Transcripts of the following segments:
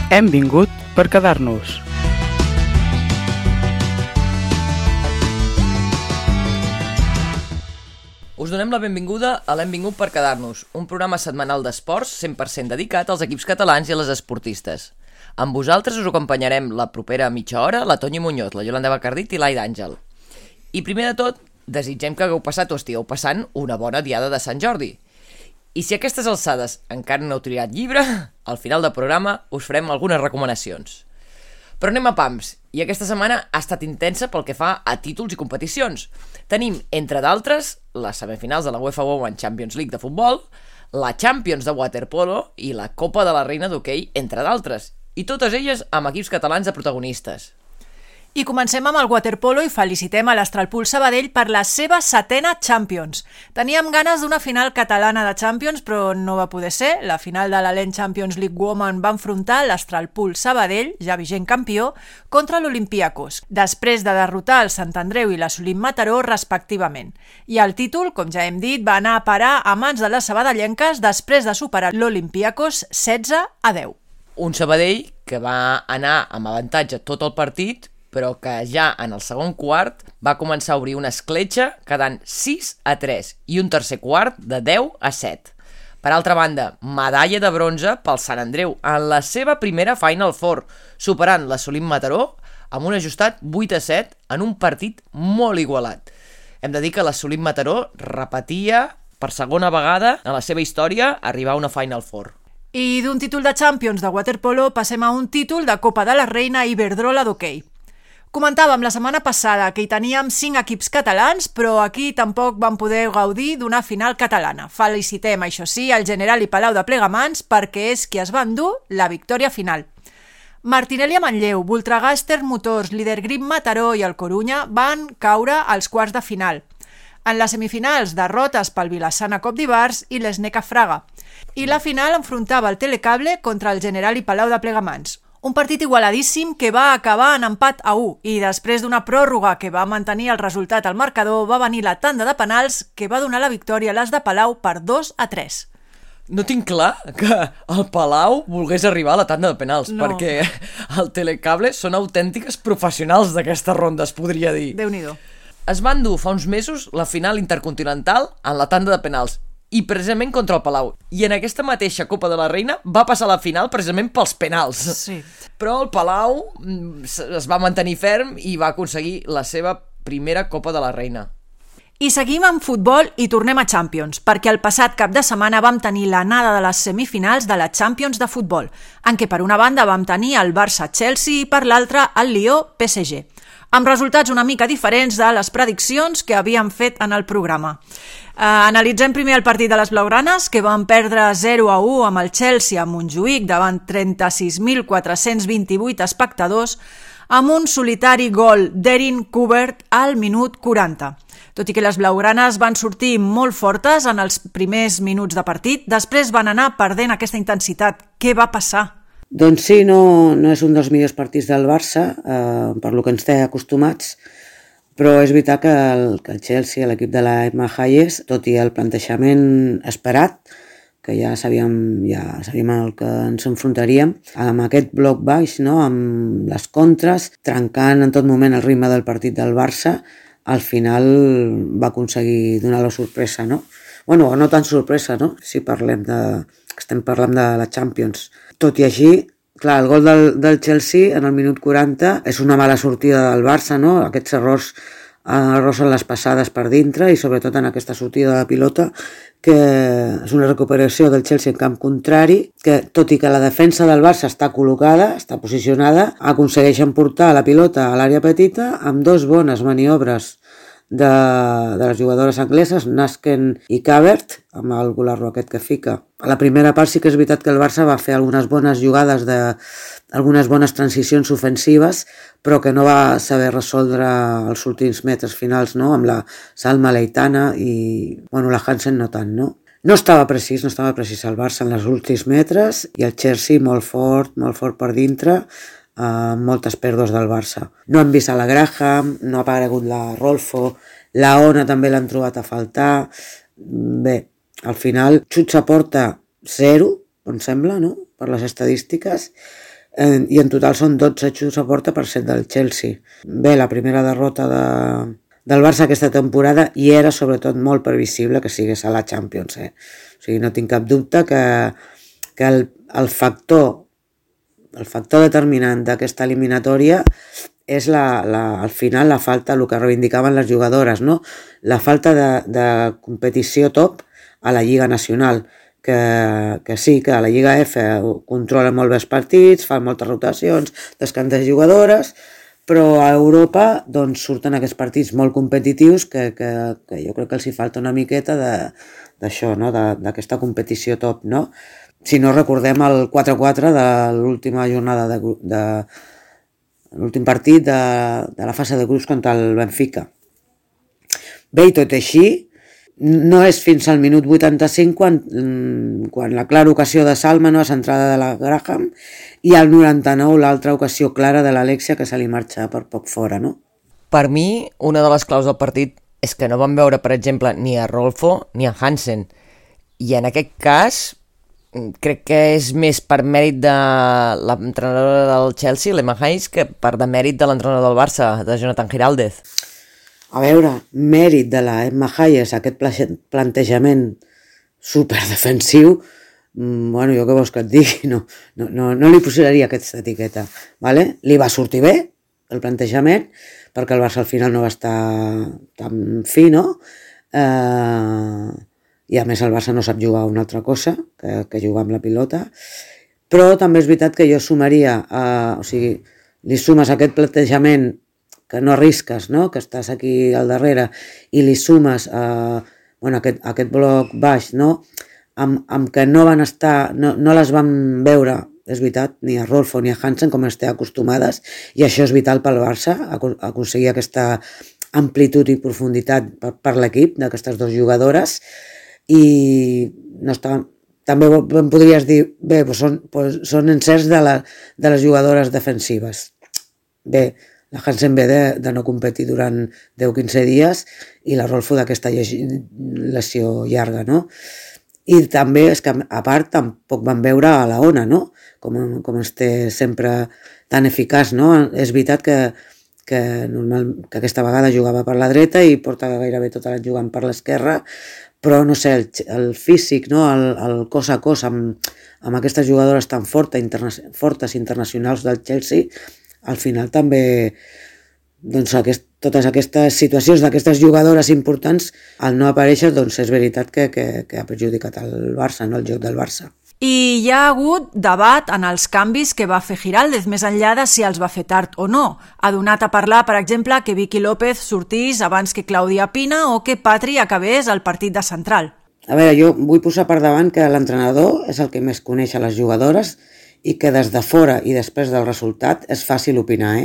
Hem vingut per quedar-nos. Us donem la benvinguda a l'Hem vingut per quedar-nos, un programa setmanal d'esports 100% dedicat als equips catalans i a les esportistes. Amb vosaltres us acompanyarem la propera mitja hora la Toñi Muñoz, la Yolanda Bacardit i l'Aida Àngel. I primer de tot, desitgem que hagueu passat o estigueu passant una bona diada de Sant Jordi. I si a aquestes alçades encara no heu triat llibre, al final del programa us farem algunes recomanacions. Però anem a pams, i aquesta setmana ha estat intensa pel que fa a títols i competicions. Tenim, entre d'altres, les semifinals de la UEFA Women's Champions League de futbol, la Champions de waterpolo i la Copa de la Reina d'hoquei, entre d'altres, i totes elles amb equips catalans de protagonistes. I comencem amb el waterpolo i felicitem a l'Astralpool Sabadell per la seva 7ª Champions. Teníem ganes d'una final catalana de Champions, però no va poder ser. La final de l'Alent Champions League Women va enfrontar l'Astralpool Sabadell, ja vigent campió, contra l'Olympiacos, després de derrotar el Sant Andreu i la Solim Mataró respectivament. I el títol, com ja hem dit, va anar a parar a mans de les sabadellenques després de superar l'Olympiacos 16-10. Un Sabadell que va anar amb avantatge tot el partit, però que ja en el segon quart va començar a obrir una escletxa quedant 6-3 i un tercer quart de 10-7. Per altra banda, medalla de bronze pel Sant Andreu en la seva primera Final Four, superant la Solim Mataró amb un ajustat 8-7 en un partit molt igualat. Hem de dir que la Solim Mataró repetia per segona vegada en la seva història arribar a una Final Four. I d'un títol de Champions de waterpolo passem a un títol de Copa de la Reina Iberdrola d'hoquei. Comentàvem la setmana passada que hi teníem 5 equips catalans, però aquí tampoc vam poder gaudir d'una final catalana. Felicitem, això sí, el General i Palau de Plegamans perquè és qui es va endur la victòria final. Martinelli a Manlleu, Voltregàster Motors, Líder Grip Mataró i el Corunya van caure als quarts de final. En les semifinals, derrotes pel Vilassana Cop d'Ivars i l'Esneca Fraga. I la final enfrontava el Telecable contra el General i Palau de Plegamans. Un partit igualadíssim que va acabar en empat a 1 i després d'una pròrroga que va mantenir el resultat al marcador va venir la tanda de penals que va donar la victòria a les de Palau per 2-3. No tinc clar que el Palau volgués arribar a la tanda de penals, No. perquè el Telecable són autèntiques professionals d'aquesta ronda, es podria dir. Déu-n'hi-do. Es va endur fa uns mesos la final intercontinental en la tanda de penals, i precisament contra el Palau. I en aquesta mateixa Copa de la Reina va passar a la final precisament pels penals. Sí. Però el Palau es va mantenir ferm i va aconseguir la seva primera Copa de la Reina. I seguim amb futbol i tornem a Champions, perquè el passat cap de setmana vam tenir l'anada de les semifinals de la Champions de futbol, en què per una banda vam tenir el Barça-Chelsea i per l'altra el Lió-PSG, amb resultats una mica diferents de les prediccions que havíem fet en el programa. Analitzem primer el partit de les blaugranes, que van perdre 0-1 amb el Chelsea a Montjuïc davant 36.428 espectadors, amb un solitari gol d'Erin Kubert al minut 40. Tot i que les blaugranes van sortir molt fortes en els primers minuts de partit, després van anar perdent aquesta intensitat. Què va passar? Doncs sí, no és un dels millors partits del Barça, per lo que ens té acostumats, però és veritat que el Chelsea, l'equip de la Emma Hayes, tot i el plantejament esperat, que ja sabíem el que ens enfrontaríem, amb aquest bloc baix, no? Amb les contres, trencant en tot moment el ritme del partit del Barça, al final va aconseguir donar la sorpresa, no? Bueno, no tan sorpresa, no? Si estem parlant de la Champions. Tot i així, clar, el gol del Chelsea en el minut 40 és una mala sortida del Barça, no? Aquests errors en les passades per dintre i sobretot en aquesta sortida de pilota, que és una recuperació del Chelsea en camp contrari, que tot i que la defensa del Barça està col·locada, està posicionada, aconsegueixen portar la pilota a l'àrea petita amb 2 bones maniobres de les jugadores angleses, Nasken i Cavert, amb el golarro aquest que fica. A la primera part sí que és veritat que el Barça va fer algunes bones jugades, algunes bones transicions ofensives, però que no va saber resoldre els últims metres finals, no? Amb la Salma Leitana i la Hansen no tant, no? No estava precís el Barça en els últims metres i el Chelsea molt fort per dintre, moltes pèrdues del Barça. No hem vist a la Graham, no ha aparegut la Rolfo, la Ona també l'han trobat a faltar. Bé, al final, xuts a porta 0, em sembla, no? Per les estadístiques. i en total són 12 xuts a porta per 7 del Chelsea. Bé, la primera derrota del Barça aquesta temporada i era sobretot molt previsible que sigués a la Champions. O sigui, no tinc cap dubte que el factor determinant d'aquesta eliminatòria és al final la falta, el que reivindicaven les jugadores, no? La falta de competició top a la Lliga Nacional, que sí, que a la Lliga F controlen molt bé els partits, fan moltes rotacions, descansen jugadores, però a Europa doncs, surten aquests partits molt competitius que jo crec que els hi falta una miqueta d'això, no? D'aquesta competició top, no? Si no recordem el 4-4 de l'última jornada de l'últim partit de la fase de grups contra el Benfica. Bé, i tot així, no és fins al minut 85 quan la clara ocasió de Salma, no, a centrada de la Graham, i al 99 l'altra ocasió clara de l'Alexia que se li marxa per poc fora, no? Per mi, una de les claus del partit és que no vam veure, per exemple, ni a Rolfo ni a Hansen. I en aquest cas, crec que és més per mèrit de l'entrenadora del Chelsea, l'Emma Hayes, que per demèrit de l'entrenador del Barça, de Jonathan Giraldez. A veure, mèrit de la Emma Hayes, aquest plantejament superdefensiu, bueno, jo què vols que et digui, no li posaria aquesta etiqueta, ¿vale? Li va sortir bé el plantejament, perquè el Barça al final no va estar tan fi, no? I a més el Barça no sap jugar a una altra cosa que jugar amb la pilota, però també és veritat que jo sumaria, o sigui, li sumes aquest plantejament que no arrisques, no? Que estàs aquí al darrere i li sumes aquest bloc baix, no? Amb que no van estar, no les van veure, és veritat, ni a Rolfo ni a Hansen com estem acostumades, i això és vital pel Barça, aconseguir aquesta amplitud i profunditat per l'equip d'aquestes dues jugadores, i no està... També em podries dir, bé, són encerts de les jugadores defensives. Bé, la Hansen ve de no competir durant 10-15 dies i la Rolfo d'aquesta lesió llarga, no? I també és que, a part, tampoc van veure a la Ona, no? Com esté sempre tan eficaç, no? És veritat que aquesta vegada jugava per la dreta i porta gairebé tot l'any jugant per l'esquerra, però, no sé, el físic, no? El cos a cos amb aquestes jugadores tan fortes internacionals del Chelsea, al final també doncs, totes aquestes situacions d'aquestes jugadores importants, al no aparèixer, doncs és veritat que ha perjudicat el Barça, no? El joc del Barça. I hi ha hagut debat en els canvis que va fer Giraldez, més enllà de si els va fer tard o no. Ha donat a parlar, per exemple, que Vicky López sortís abans que Clàudia Pina o que Patri acabés el partit de central. A veure, jo vull posar per davant que l'entrenador és el que més coneix a les jugadores i que des de fora i després del resultat és fàcil opinar,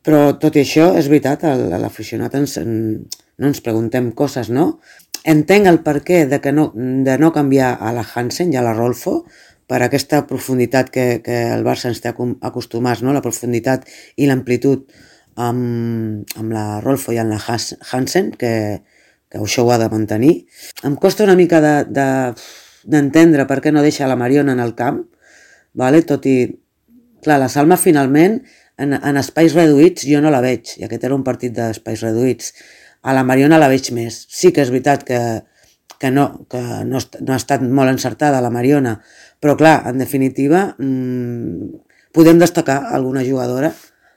Però tot i això, és veritat, a l'aficionat no ens preguntem coses, no? Entenc el perquè de no canviar a la Hansen i a la Rolfo per aquesta profunditat que el Barça ens té acostumats, no? La profunditat i l'amplitud amb la Rolfo i amb la Hansen, que això ho ha de mantenir. Em costa una mica d'entendre per què no deixa la Mariona en el camp, vale? Tot i... Clar, la Salma finalment en espais reduïts jo no la veig, i aquest era un partit d'espais reduïts. A la Mariona la veig més. Sí que és veritat que no ha estat molt encertada la Mariona, però clar, en definitiva podem destacar alguna jugadora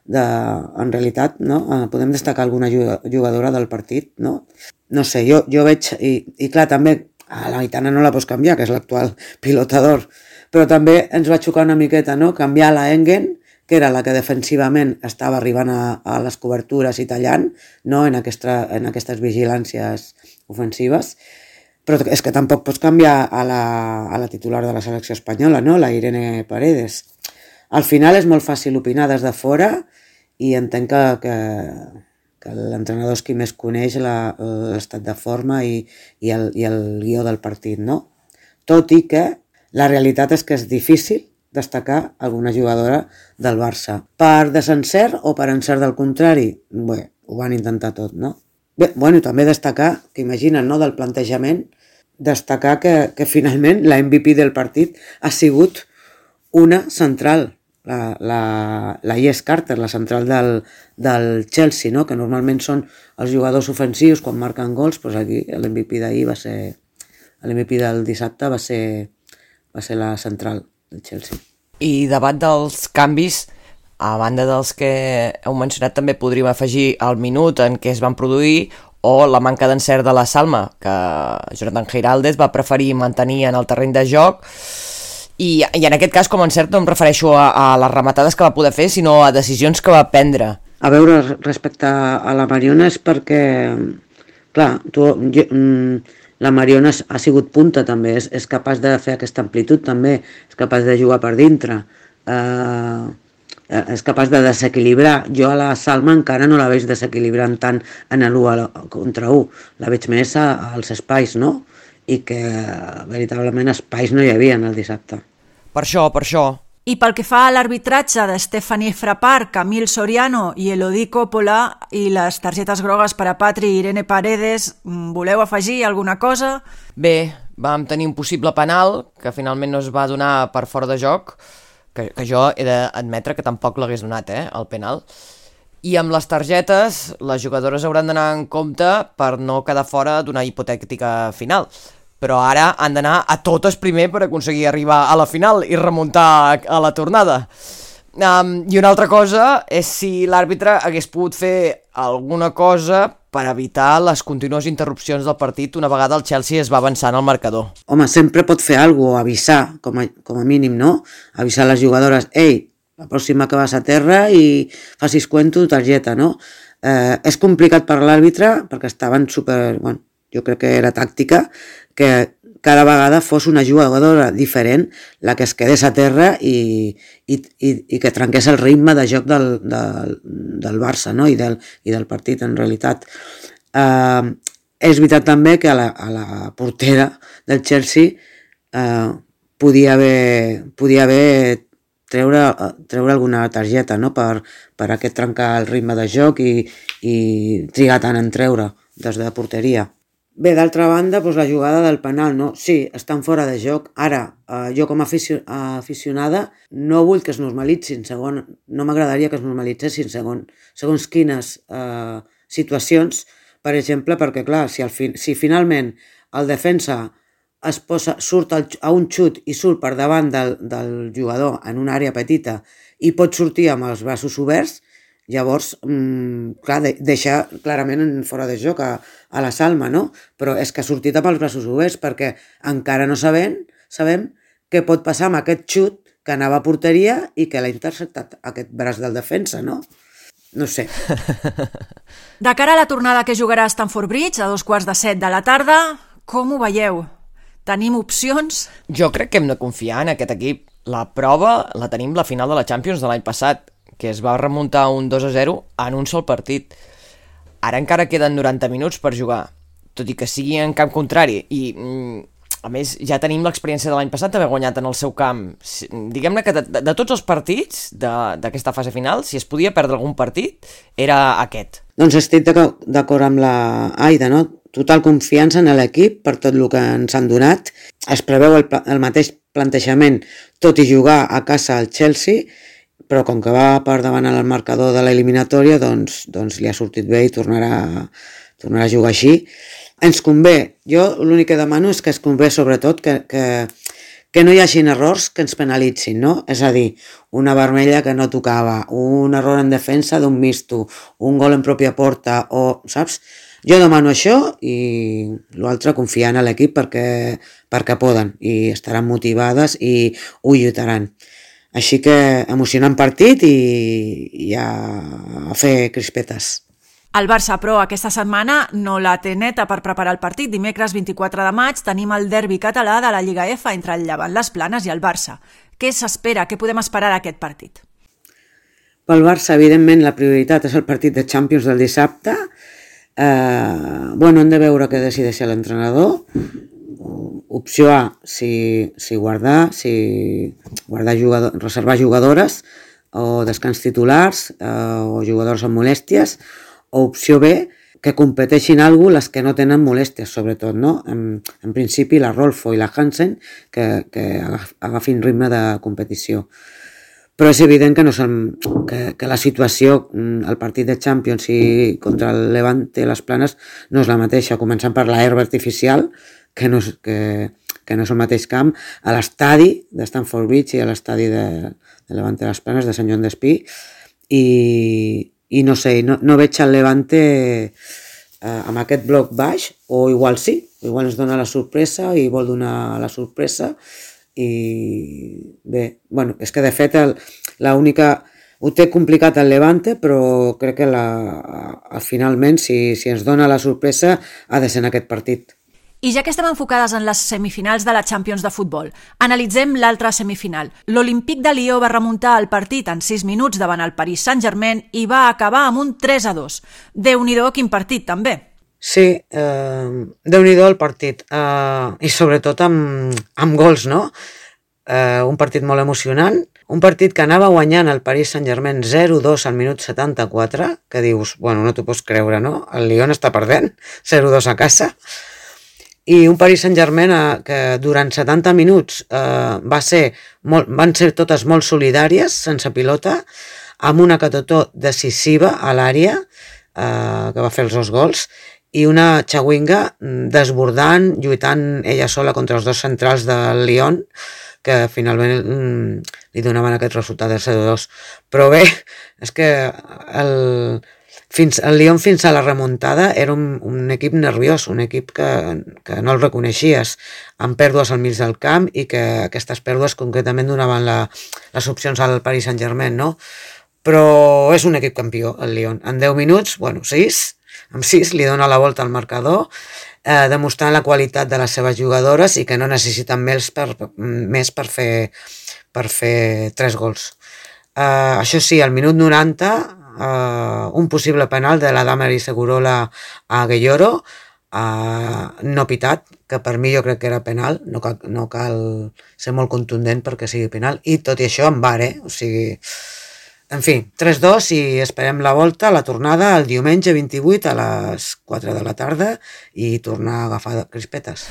en realitat, no? Podem destacar alguna jugadora del partit, no? No sé, jo veig, i clar, també a la Aitana no la pots canviar, que és l'actual pilotador, però també ens va xocar una miqueta, no? Canviar la Engen, que era la que defensivament estava arribant a les cobertures i tallant, no? en aquestes vigilàncies ofensives, però és que tampoc pots canviar a la titular de la selecció espanyola, no? La Irene Paredes. Al final és molt fàcil opinar des de fora i entenc que l'entrenador és qui més coneix l'estat de forma i el guió del partit, no? Tot i que la realitat és que és difícil destacar alguna jugadora del Barça. Per desencert o per encert del contrari? Bé, ho van intentar tot, no? Bé, bueno, també destacar, que imaginen, no?, del plantejament, destacar que finalment la MVP del partit ha sigut una central, la Jess Carter, la central del Chelsea, no? Que normalment són els jugadors ofensius quan marquen gols, doncs aquí l'MVP d'ahir va ser... L'MVP del dissabte va ser la central del Chelsea. I davant dels canvis, a banda dels que heu mencionat, també podríem afegir el minut en què es van produir o la manca d'encert de la Salma, que Jonathan Giraldez va preferir mantenir en el terreny de joc, i en aquest cas, com a encert, no em refereixo a les rematades que va poder fer, sinó a decisions que va prendre. A veure, respecte a la Mariona és perquè, clar, la Mariona ha sigut punta també, és capaç de fer aquesta amplitud també, és capaç de jugar per dintre, és capaç de desequilibrar. Jo a la Salma encara no la veig desequilibrant tant en l'1 contra 1, la veig més als espais, no? I que veritablement espais no hi havia el dissabte. Per això. I pel que fa a l'arbitratge de Stephanie Frappart, Camille Soriano i Elodie Coppola i les targetes grogues per a Patri i Irene Paredes, voleu afegir alguna cosa? Bé, vam tenir un possible penal que finalment no es va donar per fora de joc, que jo he d'admetre que tampoc l'hagués donat, el penal. I amb les targetes, les jugadores hauran d'anar en compte per no quedar fora d'una hipotètica final. Però ara han d'anar a totes primer per aconseguir arribar a la final i remuntar a la tornada. I una altra cosa és si l'àrbitre hagués pogut fer alguna cosa per evitar les contínues interrupcions del partit una vegada el Chelsea es va avançant al marcador. Home, sempre pot fer alguna cosa, avisar, com a mínim, no? Avisar les jugadores, ei, la pròxima que vas a terra i facis cuento, targeta, no? És complicat per l'àrbitre perquè estaven super... Bueno, jo crec que era tàctica, que cada vegada fos una jugadora diferent la que es quedés a terra i que trenqués el ritme de joc del Barça, no? I del partit, en realitat. És veritat també que a la portera del Chelsea podia haver treure alguna targeta, no? Per aquest trencar el ritme de joc i trigar tant en treure des de porteria. Bé, d'altra banda, doncs la jugada del penal, no? Sí, estan fora de joc. Ara, jo com a aficionada no vull que es normalitzin, no m'agradaria que es normalitzessin segons quines situacions, per exemple, perquè clar, si finalment el defensa surt a un xut i surt per davant del jugador en una àrea petita i pot sortir amb els braços oberts, llavors, clar, deixa clarament fora de joc a la Salma, no? Però és que ha sortit amb els braços oberts perquè encara no sabem què pot passar amb aquest xut que anava a porteria i que l'ha interceptat aquest braç del defensa, no? No sé. De cara a la tornada que jugarà a Stamford Bridge a 7:15 de la tarda, com ho veieu? Tenim opcions? Jo crec que hem de confiar en aquest equip. La prova la tenim la final de la Champions de l'any passat, que es va remuntar un 2-0 en un sol partit. Ara encara queden 90 minuts per jugar, tot i que sigui en camp contrari, i a més ja tenim l'experiència de l'any passat d'haver guanyat en el seu camp. Diguem-ne que de tots els partits d'aquesta fase final, si es podia perdre algun partit, era aquest. Doncs estic d'acord amb la Aida, no? Total confiança en l'equip per tot el que ens han donat. Es preveu el mateix plantejament, tot i jugar a casa al Chelsea, però com que va per davant al marcador de l'eliminatòria, doncs li ha sortit bé i tornarà a jugar així. Ens convé, jo l'únic que demano és que es convé sobretot que no hi hagin errors que ens penalitzin, no? És a dir, una vermella que no tocava, un error en defensa d'un misto, un gol en pròpia porta, saps? Jo demano això i l'altre confiar en l'equip perquè poden i estaran motivades i ho lluitaran. Així que emocionant partit i a fer crispetes. El Barça, però, aquesta setmana no la té neta per preparar el partit. Dimecres 24 de maig tenim el derbi català de la Lliga F entre el Llevant Les Planes i el Barça. Què s'espera? Què podem esperar d'aquest partit? Pel Barça, evidentment, la prioritat és el partit de Champions del dissabte. Hem de veure què decideix l'entrenador. Opció A, si reservar jugadores o descans titulars o jugadors amb molèsties, o opció B, que competeixin les que no tenen molèsties, sobretot, no? En principi la Rolfo i la Hansen que agafin ritme de competició. però és evident que, que la situació, el partit de Champions i contra el Levante les Planes no és la mateixa, començant per l'herba artificial, que no és el mateix camp, a l'estadi de Stamford Bridge i a l'estadi de Levante les Planes, de Sant Joan d'Espí, i no sé, no veig el Levante amb aquest bloc baix, o igual sí, igual ens dona la sorpresa i vol donar la sorpresa, i bé, bueno, és que de fet ho té complicat el Levante, però crec que finalment si ens dona la sorpresa ha de ser en aquest partit. I ja que estem enfocades en les semifinals de la Champions de futbol, analitzem l'altra semifinal. L'Olympique de Lió va remuntar el partit en 6 minuts davant el Paris Saint-Germain i va acabar amb un 3-2. Déu-n'hi-do, quin partit, també. Sí, Déu-n'hi-do el partit, i sobretot amb gols, no? Un partit molt emocionant, un partit que anava guanyant el Paris Saint-Germain 0-2 al minut 74, que dius, bueno, no t'ho pots creure, no? El Lyon està perdent, 0-2 a casa, i un Paris Saint-Germain que durant 70 minuts van ser totes molt solidàries, sense pilota, amb una Catotó decisiva a l'àrea, que va fer els 2 gols, i una Chawinga desbordant, lluitant ella sola contra els 2 centrals del Lyon, que finalment li donaven aquest resultat del 0-2. Però bé, és que el Lyon fins a la remuntada era un equip nerviós, un equip que no el reconeixies, amb pèrdues al mig del camp, i que aquestes pèrdues concretament donaven les opcions al Paris Saint-Germain, no? Però és un equip campió, el Lyon. En 10 minuts, bueno, 6, amb 6 li dona la volta al marcador, demostrant la qualitat de les seves jugadores i que no necessiten més per fer 3 gols. Això sí, al minut 90, un possible penal de la Damaris Segurola a Gueyoro, no pitat, que per mi jo crec que era penal, no cal ser molt contundent perquè sigui penal, i tot i això en VAR, o sigui... En fi, 3-2 i esperem la volta, la tornada el diumenge 28 a les 4 de la tarda i tornar a agafar crispetes.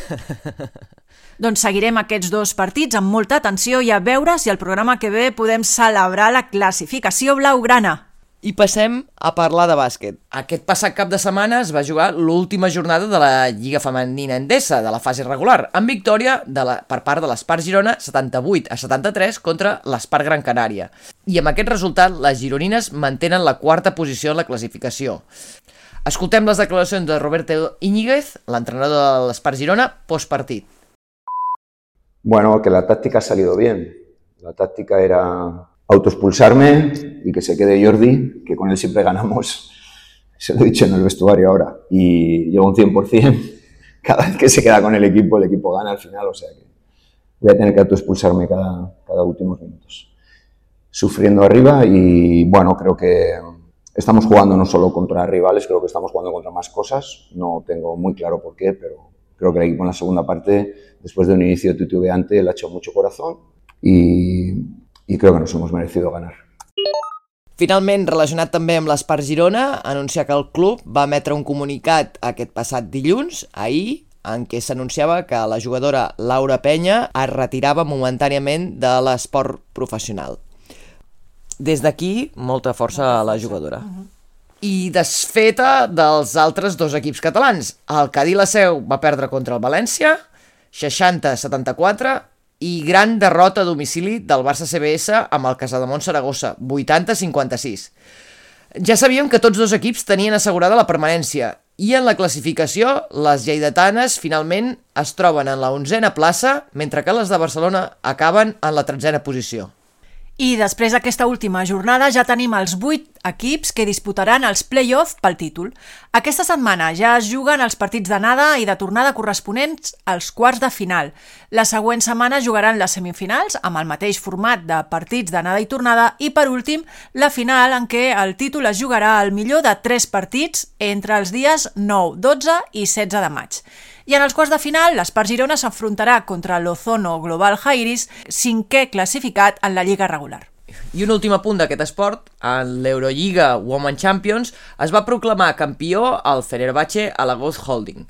Doncs seguirem aquests 2 partits amb molta atenció i a veure si el programa que ve podem celebrar la classificació blaugrana. I passem a parlar de bàsquet. Aquest passat cap de setmana es va jugar l'última jornada de la Lliga Femenina Endesa, de la fase regular, amb victòria per part de l'Espar Girona 78-73 contra l'Espar Gran Canària. I amb aquest resultat, les gironines mantenen la 4a posició en la classificació. Escoltem les declaracions de Roberto Íñiguez, l'entrenador de l'Espar Girona, postpartit. Bueno, que la táctica ha salido bien. La táctica era autoexpulsarme y que se quede Jordi, que con él siempre ganamos, se lo he dicho en el vestuario ahora, y llevo un 100%, cada vez que se queda con el equipo gana al final, o sea que voy a tener que autoexpulsarme cada últimos minutos. Sufriendo arriba y bueno, creo que estamos jugando no solo contra rivales, creo que estamos jugando contra más cosas, no tengo muy claro por qué, pero creo que el equipo en la segunda parte, después de un inicio titubeante, le ha hecho mucho corazón i crec que nos hemos merecido ganar. Finalment, relacionat també amb l'Espar Girona, anunciar que el club va emetre un comunicat aquest passat dilluns, ahir, en què s'anunciava que la jugadora Laura Penya es retirava momentàniament de l'esport professional. Des d'aquí, molta força a la jugadora. I desfeta dels altres 2 equips catalans. El Cadí la Seu va perdre contra el València, 60-74, i gran derrota a domicili del Barça CBS amb el Casademont Saragossa, 80-56. Ja sabíem que tots 2 equips tenien assegurada la permanència i en la classificació les lleidatanes finalment es troben en la 11a plaça, mentre que les de Barcelona acaben en la 13a posició. I després d'aquesta última jornada ja tenim els 8 equips que disputaran els play-off pel títol. Aquesta setmana ja es juguen els partits d'anada i de tornada corresponents als quarts de final. La següent setmana jugaran les semifinals amb el mateix format de partits d'anada i tornada i, per últim, la final en què el títol es jugarà al millor de 3 partits entre els dies 9, 12 i 16 de maig. I en els quarts de final, l'Espar Girona s'afrontarà contra l'Ozono Global Jairis, 5è classificat en la Lliga regular. I un últim apunt d'aquest esport, en l'Eurolliga Women Champions es va proclamar campió el Fenerbahçe Alagoas Holding.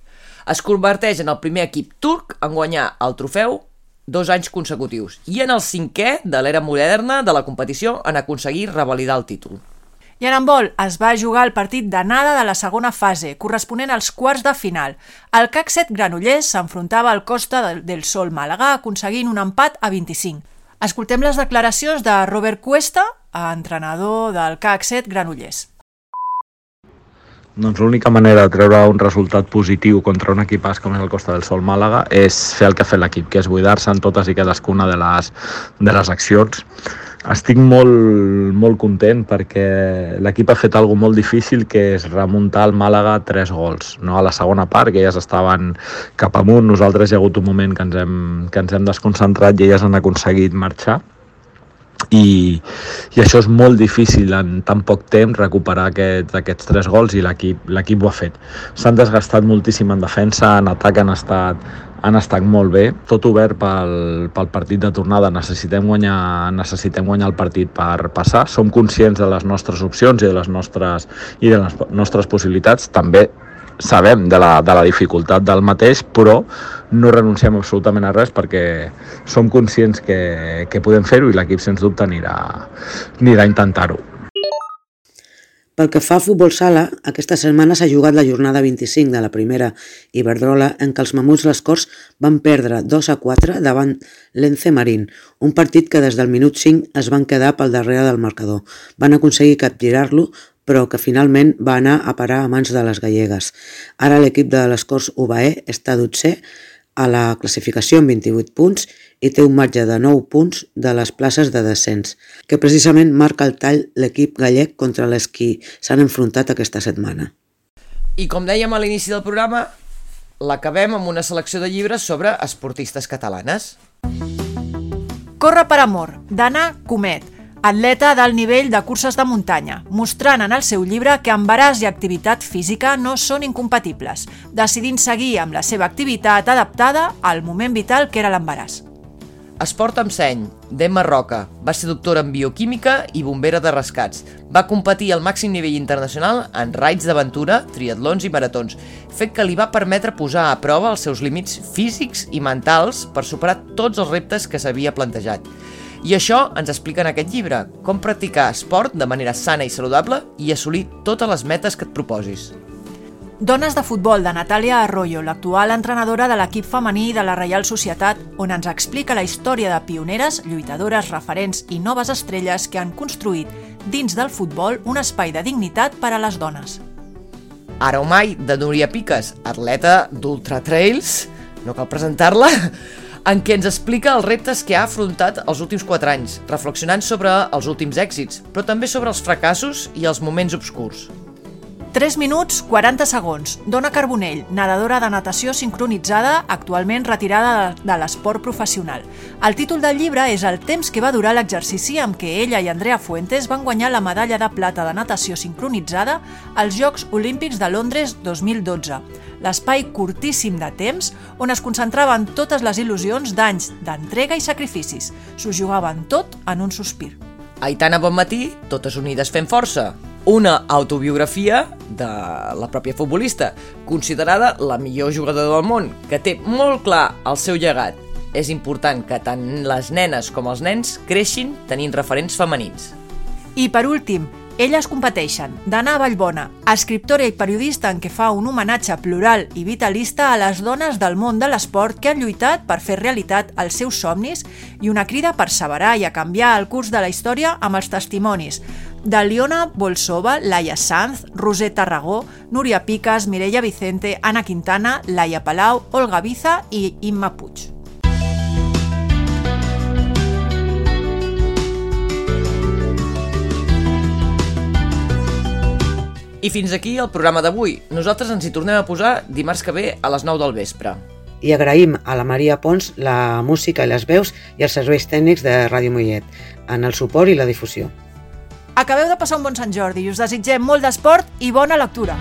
Es converteix en el primer equip turc en guanyar el trofeu 2 anys consecutius, i en el 5è de l'era moderna de la competició en aconseguir revalidar el títol. I en handbol es va jugar el partit d'anada de la segona fase, corresponent als quarts de final. El CAC 7 Granollers s'enfrontava al Costa del Sol Màlaga, aconseguint un empat a 25. Escoltem les declaracions de Robert Cuesta, entrenador del CAC 7 Granollers. Doncs l'única manera de treure un resultat positiu contra un equipàs com és el Costa del Sol Màlaga és fer el que ha fet l'equip, que és buidar-se en totes i cadascuna de les accions. Estic molt content perquè l'equip ha fet alguna molt difícil, que és remuntar el Màlaga 3 gols. No? A la segona part, que elles estaven cap amunt, nosaltres hi ha hagut un moment que ens hem desconcentrat i elles han aconseguit marxar. I això és molt difícil en tan poc temps recuperar aquests 3 gols, i l'equip ho ha fet. S'han desgastat moltíssim en defensa, en atac han estat molt bé, tot obert pel partit de tornada. Necessitem guanyar el partit per passar. Som conscients de les nostres opcions i de les nostres possibilitats. També sabem de la dificultat del mateix, però no renunciem absolutament a res perquè som conscients que podem fer-ho, i l'equip sens dubte anirà a intentar-ho. Pel que fa a futbol sala, aquesta setmana s'ha jugat la jornada 25 de la primera Iberdrola, en què els Mamuts Les Corts van perdre 2-4 davant l'Ence Marín, un partit que des del minut 5 es van quedar pel darrere del marcador. Van aconseguir capgirar-lo, però que finalment va anar a parar a mans de les gallegues. Ara l'equip de Les Corts UBAE està 12è a la classificació amb 28 punts i té un marge de 9 punts de les places de descens, que precisament marca el tall l'equip gallec contra les qui s'han enfrontat aquesta setmana. I com dèiem a l'inici del programa, l'acabem amb una selecció de llibres sobre esportistes catalanes. Corre per amor, d'Anna Comet, atleta d'alt nivell de curses de muntanya, mostrant en el seu llibre que embaràs i activitat física no són incompatibles, decidint seguir amb la seva activitat adaptada al moment vital que era l'embaràs. Esport amb seny, d'Emma Roca. Va ser doctora en bioquímica i bombera de rescats. Va competir al màxim nivell internacional en raids d'aventura, triatlons i maratons, fet que li va permetre posar a prova els seus límits físics i mentals per superar tots els reptes que s'havia plantejat. I això ens explica en aquest llibre, com practicar esport de manera sana i saludable i assolir totes les metes que et proposis. Dones de futbol, de Natàlia Arroyo, l'actual entrenadora de l'equip femení de la Reial Societat, on ens explica la història de pioneres, lluitadores, referents i noves estrelles que han construït dins del futbol un espai de dignitat per a les dones. Ara o mai, de Núria Piques, atleta d'Ultra Trails, no cal presentar-la, en què ens explica els reptes que ha afrontat els últims 4 anys, reflexionant sobre els últims èxits, però també sobre els fracassos i els moments obscurs. 3 minuts 40 segons. Dona Carbonell, nedadora de natació sincronitzada, actualment retirada de l'esport professional. El títol del llibre és el temps que va durar l'exercici amb què ella i Andrea Fuentes van guanyar la medalla de plata de natació sincronitzada als Jocs Olímpics de Londres 2012. L'espai curtíssim de temps on es concentraven totes les il·lusions d'anys d'entrega i sacrificis. S'ho jugaven tot en un sospir. Aitana Bonmatí, Totes unides fent força. Una autobiografia de la pròpia futbolista, considerada la millor jugadora del món, que té molt clar el seu llegat. És important que tant les nenes com els nens creixin tenint referents femenins. I per últim, Elles competeixen, d'Anna Vallbona, escriptora i periodista en què fa un homenatge plural i vitalista a les dones del món de l'esport que han lluitat per fer realitat els seus somnis i una crida a perseverar i a canviar el curs de la història amb els testimonis d'Aliona Bolsova, Laia Sanz, Roser Tarragó, Núria Piques, Mireia Vicente, Anna Quintana, Laia Palau, Olga Biza i Imma Puig. I fins aquí el programa d'avui. Nosaltres ens hi tornem a posar dimarts que ve a les 9 del vespre. I agraïm a la Maria Pons la música i les veus i els serveis tècnics de Ràdio Mollet en el suport i la difusió. Acabeu de passar un bon Sant Jordi i us desitgem molt d'esport i bona lectura.